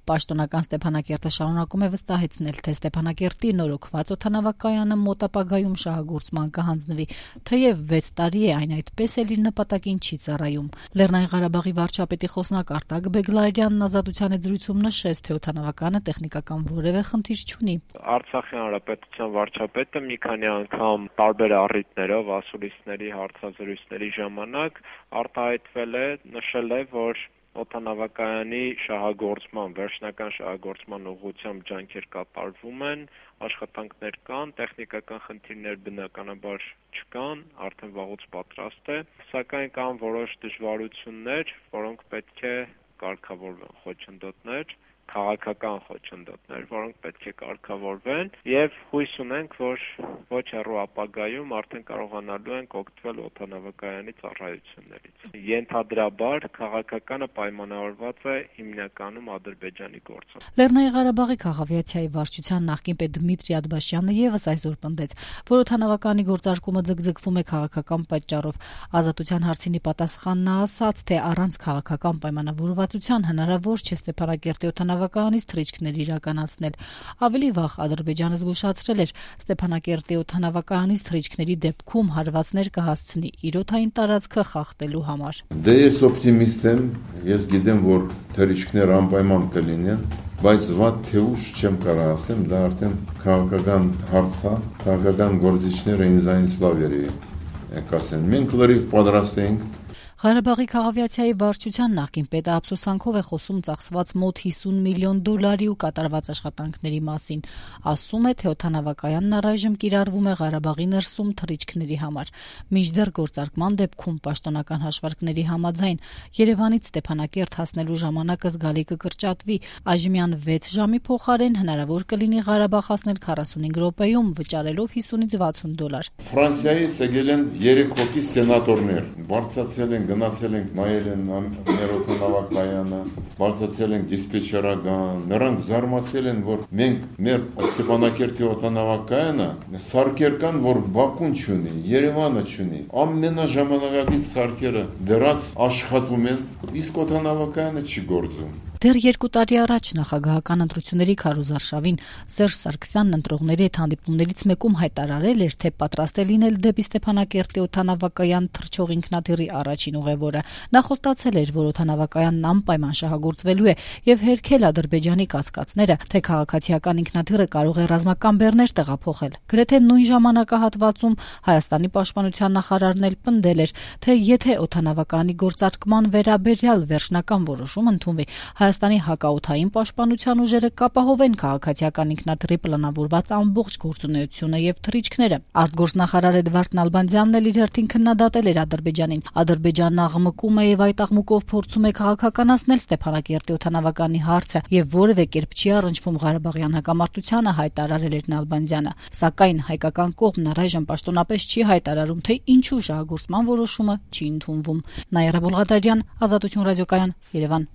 Պաշտոնական Ստեփանակերտը շարունակում է վստահեցնել, թե Ստեփանակերտի նորոգված օդանավակայանը մոտ ապագայում շահագործման կհանձնվի, թեև 6 տարի է այն այդպես էլ իր նպատակին չի ծառայում։ Լեռնային Ղարաբաղի վարչապետի խոսնակ Արտակ Բեգլարյանն Ազատության հետ զրույցում նշեց, թե օդանավականը տեխնիկական որևէ խնդիր չունի։ Արցախի հանրապետության վարչապետը մի քանի անգամ տարբեր առիթներով ասուլիսների հարցազրույցների ժամանակ արտահայտվել է, նշել է, որ օդանավակայանի վերջնական շահագործման ուղղությամբ ջանքեր կատարվում են, աշխատանքներ կան, տեխնիկական խնդիրներ բնականաբար չկան, արդեն վաղուց պատրաստ է, սակայն կան որոշ դժվարություններ, որոնք պետք է կարգավորվեն, խոչընդոտներ, քաղաքական խոչընդոտներ, որոնք պետք է կարգավորվեն եւ հույս ունենք, որ ոչ հեռու ապագայում արդեն կարողանալու ենք օգտվել օդանավակայանի ծառայություններից։ Ենթադրաբար քաղաքականը պայմանավորված է հիմնականում Ադրբեջանի գործով։ Լեռնային Ղարաբաղի քաղաքավիացիայի վարչության նախկին պետ Դմիտրի Ադբաշյանը եւս այսօր պնդեց, որ օդանավականի գործարկումը ձգձգվում է քաղաքական պատճառով։ Ազատության հարցինի պատասխանն ասաց, թե առանց քաղաքական պայմանավորվածության հնարավոր չէ Ստեփանակերտի օդանավակայանից թռիչքներ իրականացնել։ Ավելի վաղ Ադրբեջանը զգուշացրել էր, Ստեփանակերտի օդանավակայանից թռիչքների դեպքում հարվածներ կհասցնի իր օդային տարածքը խախտելու համար։ Դե ես օպտիմիստ եմ, ես գիտեմ, որ թռիչքներ անպայման կլինեն, բայց վատ թե ուշ չեմ կարող ասեմ, դա արդեն քաղաքական հարց է, քաղաքական գործիչները ինձանից լավ կասեն։ Մենք լրիվ պատրաստ ենք։ Ղարաբաղի քաղաքավիացիայի վարչության նախկին պետը ափսոսանքով է խոսում ծախսված մոտ $50 միլիոն ու կատարված աշխատանքների մասին։ Ասում է, թե օդանավակայանն առայժմ կիրառվում է Ղարաբաղի ներսում թռիչքների համար։ Մինչդեռ գործարկման դեպքում պաշտոնական հաշվարկների համաձայն Երևանից Ստեփանակերտ հասնելու ժամանակը զգալի կկրճատվի։ Այժմյան 6 ժամի փոխարեն հնարավոր կլինի Ղարաբաղ հասնել 45 րոպեում, վճարելով $50-60։ Ֆրանսիայից եկել են 3 հոգի սենատորներ, բարձրացել են գնացել ենք նայել են մեր օդանավակայանը, բարձրացել ենք դիսպեչերական, նրանք զարմացել են, որ մենք մեր Ստեփանակերտի օդանավակայանը սարքեր կան, որ Բաքուն չունի, Երևանը չունի, ամենաժամանակակից սարքերը դրած աշխատում են, իսկ օդանավակայանը չի գործում։ Դեռ 2 տարի առաջ նախագահական ընտրությունների քարոզարշավին Սերժ Սարգսյանն ընտրողների հետ հանդիպումներից մեկում հայտարարել էր, թե պատրաստ է լինել դեպի Ստեփանակերտի օդանավակայան թռչող ինքնաթիռի առաջին ուղևորը։ Նա խոստացել էր, որ օդանավակայանն անպայման շահագործվելու է եւ հերքել Ադրբեջանի կասկածները, թե քաղաքացիական ինքնաթիռը կարող է ռազմական բեռներ տեղափոխել։ Գրեթե նույն ժամանակահատվածում Հայաստանի պաշտպանության նախարարն էլ պնդել էր, թե եթե օդանավակայանի գործարկման վերաբերյալ վերջնական որոշում ընդունվի, Հայաստանի հակաօդային պաշտպանության ուժերը կապահովեն քաղաքացիական ինքնաթիռի պլանավորված ամբողջ գործունեությունը եւ թռիչքները։ Արտգործնախարար Էդվարդ Նալբանդյանն էլ իր հերթին քննադատել էր Ադրբեջանին։ Ադրբեջանն աղմկում է եւ այդ աղմուկով փորձում է քաղաքականացնել Ստեփանակերտի օդանավականի հարցը եւ որևէ կերպ չի առնչվում Ղարաբաղյան հակամարտությանը, հայտարարել էր Նալբանդյանը։ Սակայն հայկական կողմն առայժմ պաշտոնապես չի հայտարարում, թե ինչու շահագործման որոշումը չի ընդունվում։ Նաիրա Բոլղադարյան, Ազատություն ռադիոկայան, Երևան։